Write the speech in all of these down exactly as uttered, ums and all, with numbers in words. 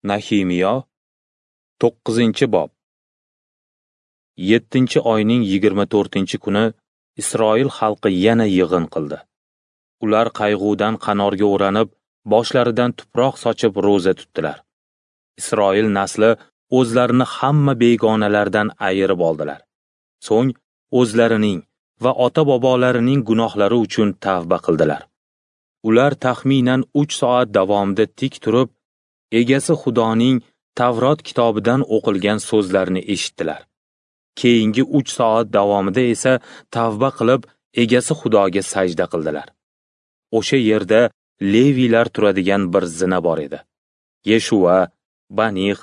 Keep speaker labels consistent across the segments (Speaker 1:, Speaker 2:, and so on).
Speaker 1: Nahimiyo, to'qqizinchi bob. Yettinchi oyning yigirma to'rtinchi kuni Isroil xalqi yana yig'in qildi. Ular qayg'udan qanorga o'ranib, boshlaridan tuproq sochib ro'za tutdilar. Isroil nasli o'zlarini hamma begonalardan ayirib oldilar. So'ng o'zlarining va ota-bobolarining gunohlari uchun tavba qildilar. Ular taxminan uch soat davomida tik turib, egasi Xudoning Tavrot kitobidan o'qilgan so'zlarni eshitdilar. Keyingi uch soat davomida esa tavba qilib, egasi Xudoga sajda qildilar. O'sha yerda Leviylar turadigan bir zina bor edi. Yeshua, Banix,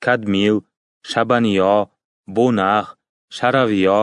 Speaker 1: Kadmil, Shabaniyo, Bonax, Sharaviyo,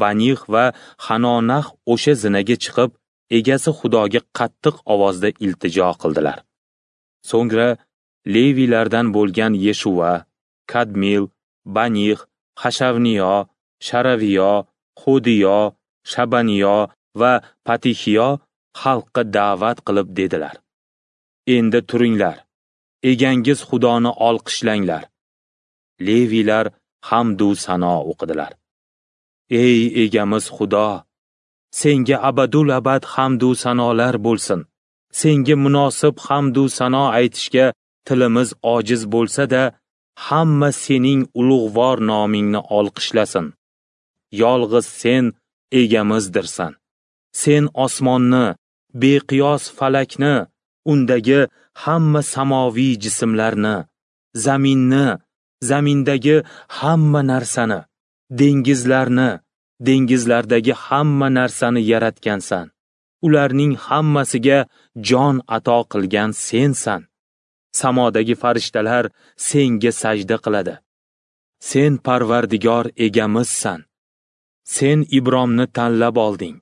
Speaker 1: Banix va Hanonax o'sha zinaga chiqib, egasi Xudoga qattiq ovozda iltijo qildilar. So'ngra Leviylardan bo'lgan Yeshua, Kadmil, Banix, Hashavniyo, Sharaviyo, Hodiyo, Shabaniyo va Patixiyo xalqqa da'vat qilib dedilar: Endi turinglar, egangiz Xudoni olqishlanglar. Leviylar hamdu sano o'qidilar. Ey egamiz Xudo, senga abadul abad hamdu sanolar bo'lsin. Senga munosib hamdu sano aytishga tilimiz ojiz bo'lsa-da, hamma sening ulug'vor nomingni olqishlasin. Yolg'iz sen egamizdirsan. Sen osmonni, beqiyos falakni, undagi hamma samoviy jismlarni, zaminni, zamindagi hamma narsani, dengizlarni, dengizlardagi hamma narsani yaratgansan. Ularning hammasiga jon ato qilgan sensan. Samodagi farishtalar senga sajda qiladi. Sen Parvardigor egamizsan. Sen Ibromni tanlab olding.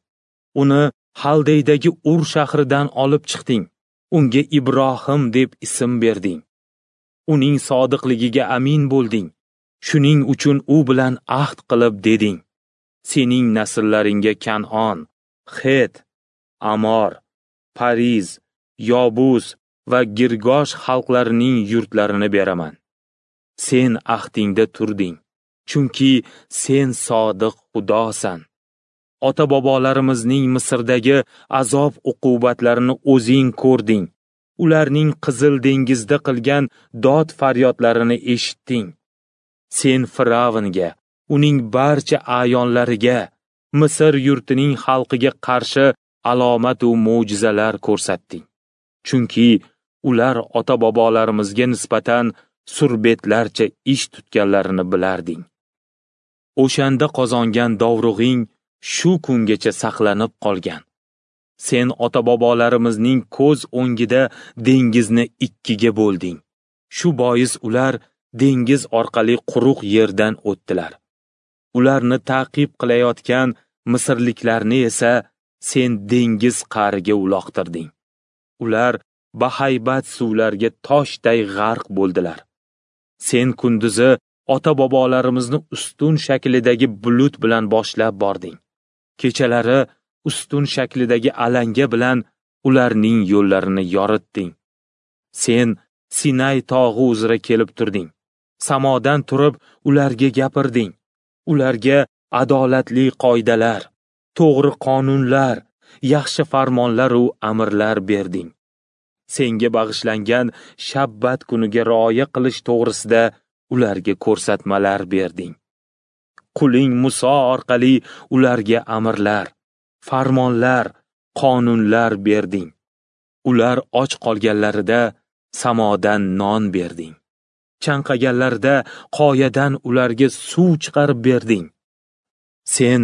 Speaker 1: Uni Haldeydagi Ur shahridan olib chiqding. Unga Ibrohim deb ism berding. Uning sodiqligiga amin bo'lding. Shuning uchun u bilan ahd qilib deding: Sening nasllaringga Kan'on, Het, Amor, Pariz, Yobus va Girgosh xalqlarining yurtlarini beraman. Sen ahdingda turding, chunki sen sodiq Xudosan. Ota-bobolarimizning Misrdagi azob uqubatlarini o'zing ko'rding. Ularning Qizil dengizda qilgan dod faryodlarini eshitding. Sen Firavnga, uning barcha a'yonlariga, Misr yurtining xalqiga qarshi alomat va mo'jizalar ko'rsatding. Chunki ular ota-bobolarimizga nisbatan surbetlarcha ish tutganlarini bilarding. O'shanda qozongan dovrug'ing shu kungacha saqlanib qolgan. Sen ota-bobolarimizning ko'z o'ngida dengizni ikkiga bo'lding. Shu bois ular dengiz orqali quruq yerdan o'tdilar. Ularni ta'qib qilayotgan misrliklarni esa sen dengiz qa'riga uloqtirding. Ular bahaybat suvlarga toshday g'arq bo'ldilar. Sen kunduzi ota-bobolarimizni ustun shaklidagi bulut bilan boshlab bording. Kechalari ustun shaklidagi alanga bilan ularning yo'llarini yoritding. Sen Sinay tog'i uzra kelib turding. Samodan turib ularga gapirding. Ularga adolatli qoidalar, to'g'ri qonunlar, yaxshi farmonlar va amrlar berding. Senga bag'ishlangan shabbat kuniga rioya qilish to'g'risida ularga ko'rsatmalar berding. Quling Muso orqali ularga amrlar, farmonlar, qonunlar berding. Ular och qolganlarida samodan non berding. Chanqaganlarida qoyadan ularga suv chiqarib berding. Sen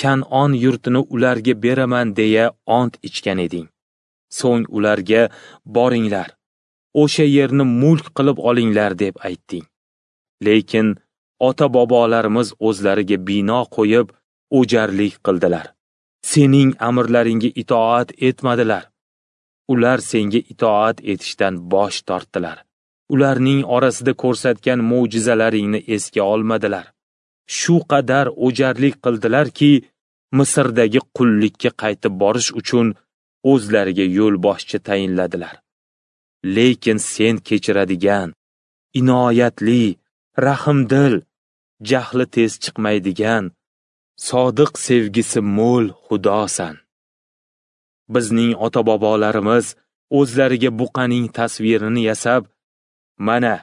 Speaker 1: Kan'on yurtini ularga beraman deya ont ichgan eding. So'ng ularga boringlar, o'sha yerni mulk qilib olinglar deb aytding. Lekin ota-bobolarimiz o'zlariga bino qo'yib, o'jarlik qildilar. Sening amrlaringga itoat etmadilar. Ular senga itoat etishdan bosh tortdilar. Ularning orasida ko'rsatgan mo'jizalaringni esga olmadilar. Shu qadar o'jarlik qildilarki, Misrdagi qullikka qaytib borish uchun o'zlariga yo'lboshchi tayinladilar. Lekin sen kechiradigan, inoyatli, rahimdil, jahli tez chiqmaydigan, sodiq sevgisi mo'l Xudosan. Bizning ota-bobolarimiz o'zlariga buqaning tasvirini yasab, mana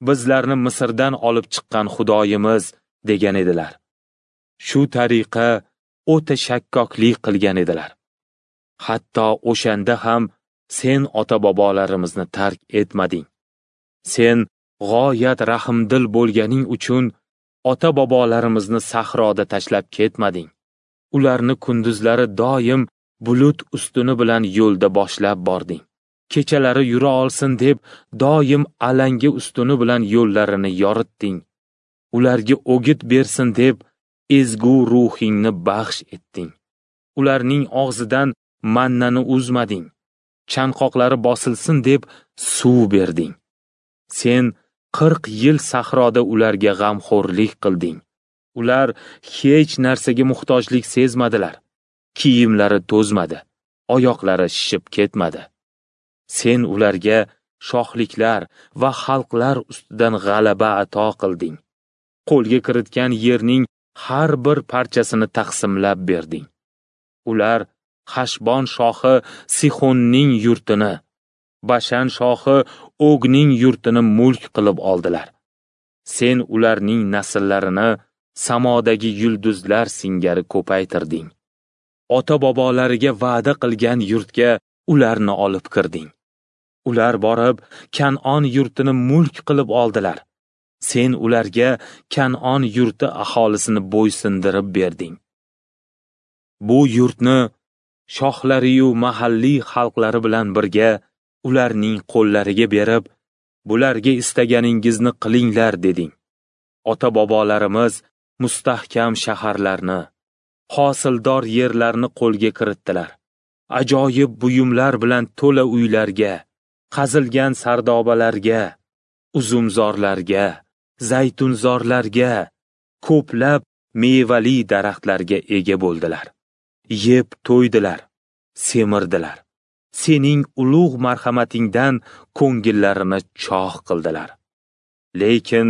Speaker 1: bizlarni Misrdan olib chiqqan Xudoyimiz degan edilar. Shu tariqa o'ta shakkoklik qilgan edilar. Hatto o'shanda ham sen ota-bobolarimizni tark etmading. Sen g'oyat rahimdil bo'lganing uchun ota-bobolarimizni sahroda tashlab ketmading. Ularni kunduzlari doim bulut ustuni bilan yo'lda boshlab bording. Kechalari yura olsin deb doim alanga ustuni bilan yo'llarini yoritding. Ularga o'git bersin deb ezgu ruhingni baxsh etding. Ularning og'zidan mannani uzmading. Chanqoqlari bosilsin deb suv berding. Sen qirq yil sahroda ularga g'amxo'rlik qilding. Ular hech narsaga muhtojlik sezmadilar. Kiyimlari to'zmadi, oyoqlari shishib ketmadi. Sen ularga shohliklar va xalqlar ustidan g'alaba ato qilding. Qo'lga kiritgan yerning har bir parchasini taqsimlab berding. Ular Hashbon shohi Sixonning yurtini, Bashan shohi Ogning yurtini mulk qilib oldilar. Sen ularning nasllarini samodagi yulduzlar singari ko'paytirding. Ota-bobolariga va'da qilgan yurtga ularni olib kirding. Ular borib Kan'on yurtini mulk qilib oldilar. Sen ularga Kan'on yurti aholisini bo'ysundirib berding. Bu yurtni shohlari-yu mahalliy xalqlari bilan birga ularning qo'llariga berib, bularga istaganingizni qilinglar deding. Ota-bobolarimiz mustahkam shaharlarni, hosildor yerlarni qo'lga kiritdilar. Ajoyib buyumlar bilan to'la uylarga, qazilgan sardobalarga, uzumzorlarga, zaytunzorlarga, ko'plab mevali daraxtlarga ega bo'ldilar. Yeb to'ydilar, semirdilar. Sening ulug' marhamatingdan ko'ngillarini chog' qildilar. Lekin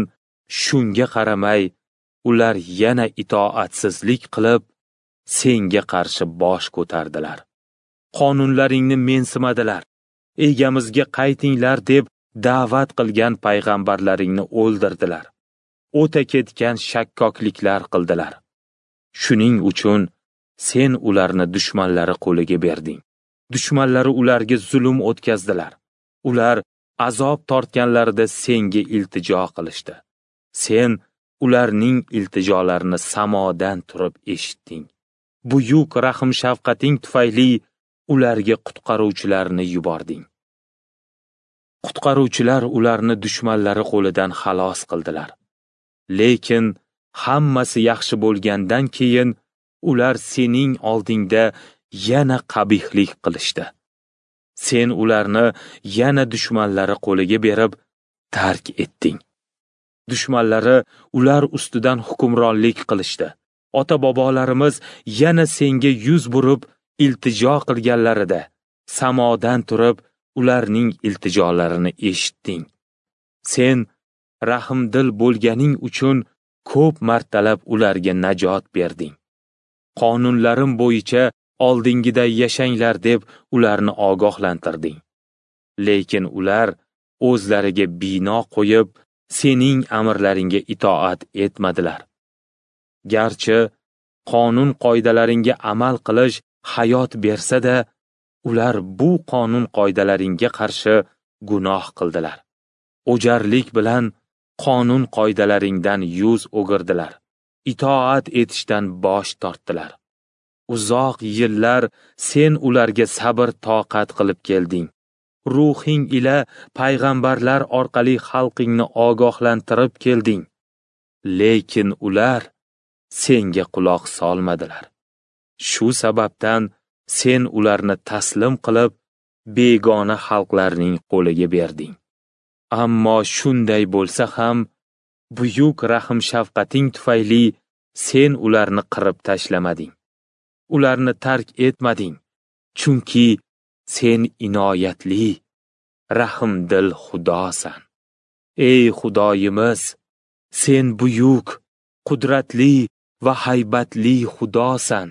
Speaker 1: shunga qaramay ular yana itoatsizlik qilib, senga qarshi bosh ko'tardilar. Qonunlaringni mensimadilar. Egamizga qaytinglar deb da'vat qilgan payg'ambarlaringni o'ldirdilar. O'ta ketgan shakkokliklar qildilar. Shuning uchun sen ularni dushmanlari qo'liga berding. Dushmanlari ularga zulm o'tkazdilar. Ular azob tortganlarida senga iltijo qilishdi. Sen ularning iltijolarini samodan turib eshitding. Buyuk rahim-shafqating tufayli ularga qutqaruvchilarni yubording. Qutqaruvchilar ularni dushmanlari qo'lidan xalos qildilar. Lekin hammasi yaxshi bo'lgandan keyin ular sening oldingda yana qabihlik qilishdi. Sen ularni yana dushmanlari qo'liga berib tark etding. Dushmanlari ular ustidan hukmronlik qilishdi. Ota-bobolarimiz yana senga yuz burib iltijo qilganlarida samodan turib ularning iltijolarini eshitding. Sen rahimdil bo'lganing uchun ko'p martalab ularga najot berding. Qonunlarim bo'yicha oldingiday yashanglar deb ularni ogohlantirding. Lekin ular o'zlariga bino qo'yib, sening amrlaringga itoat etmadilar. Garchi qonun qoidalaringga amal qilish hayot bersa-da, ular bu qonun qoidalaringga qarshi gunoh qildilar. O'jarlik bilan qonun qoidalaringdan yuz o'girdilar. Itoat etishdan bosh tortdilar. Uzoq yillar sen ularga sabr toqat qilib kelding. Ruhing ila payg'ambarlar orqali xalqingni ogohlantirib kelding. Lekin ular senga quloq solmadilar. Shu sababdan sen ularni taslim qilib, begona xalqlarning qo'liga berding. Ammo shunday bo'lsa ham, buyuk rahim-shafqating tufayli sen ularni qirib tashlamading. Ularni tark etmading, chunki sen inoyatli, rahimdil Xudosan. Ey Xudoyimiz, sen buyuk, qudratli va haybatli Xudosan.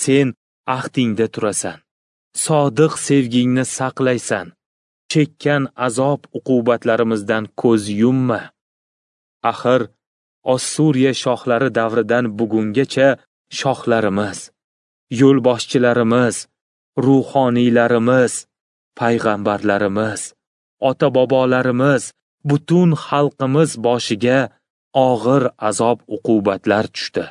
Speaker 1: Sen ahdingda turasan, sodiq sevgingni saqlaysan. Chekkan azob uqubatlarimizdan ko'z yumma. Axir Ossuriya shohlari davridan bugungacha shohlarimiz, yo'lboshchilarimiz, ruhoniylarimiz, payg'ambarlarimiz, ota-bobolarimiz, butun xalqimiz boshiga og'ir azob uqubatlar tushdi.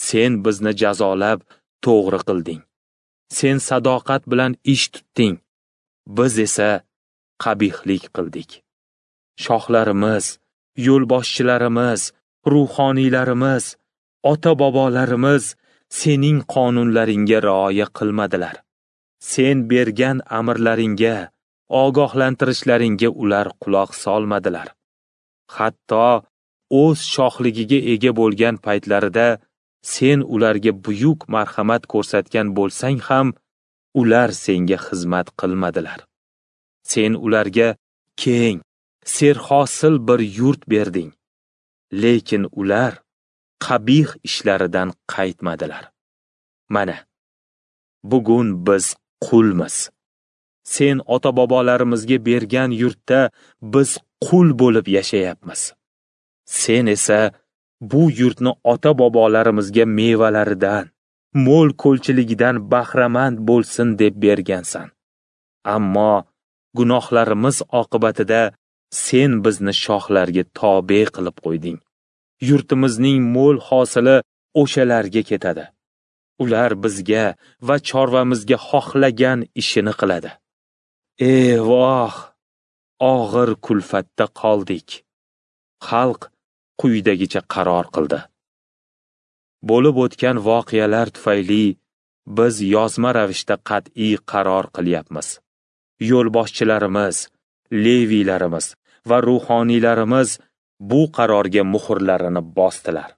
Speaker 1: Sen bizni jazolab to'g'ri qilding. Sen sadoqat bilan ish tutding. Biz esa qabihlik qildik. Shohlarimiz, yo'lboshchilarimiz, ruhoniylarimiz, ota-bobolarimiz sening qonunlaringga rioya qilmadilar. Sen bergan amrlaringga, ogohlantirishlaringga ular quloq solmadilar. Hatto o'z shohligiga ega bo'lgan paytlarida sen ularga buyuk marhamat ko'rsatgan bo'lsang ham, ular senga xizmat qilmadilar. Sen ularga keng, serhosil bir yurt berding. Lekin ular qabih ishlaridan qaytmadilar. Mana, bugun biz qulmiz. Sen ota-bobolarimizga bergan yurtda biz qul bo'lib yashayapmiz. Sen esa bu yurtni ota-bobolarimizga mevalaridan, mo'l ko'lchiligidan bahramand bo'lsin deb bergansan. Ammo gunohlarimiz oqibatida sen bizni shohlarga tobe qilib qo'yding. Yurtimizning mo'l hosili o'shalarga ketadi. Ular bizga va chorvamizga xohlagan ishini qiladi. Ey voh, og'ir kulfatda qoldik. Xalq quyidagicha qaror qildi. Bo'lib o'tgan voqealar tufayli biz yozma ravishda qat'iy qaror qilyapmiz. Yo'lboshchilarimiz, leviylarimiz va ruhoniylarimiz bu qarorga muhrlarini bosdilar.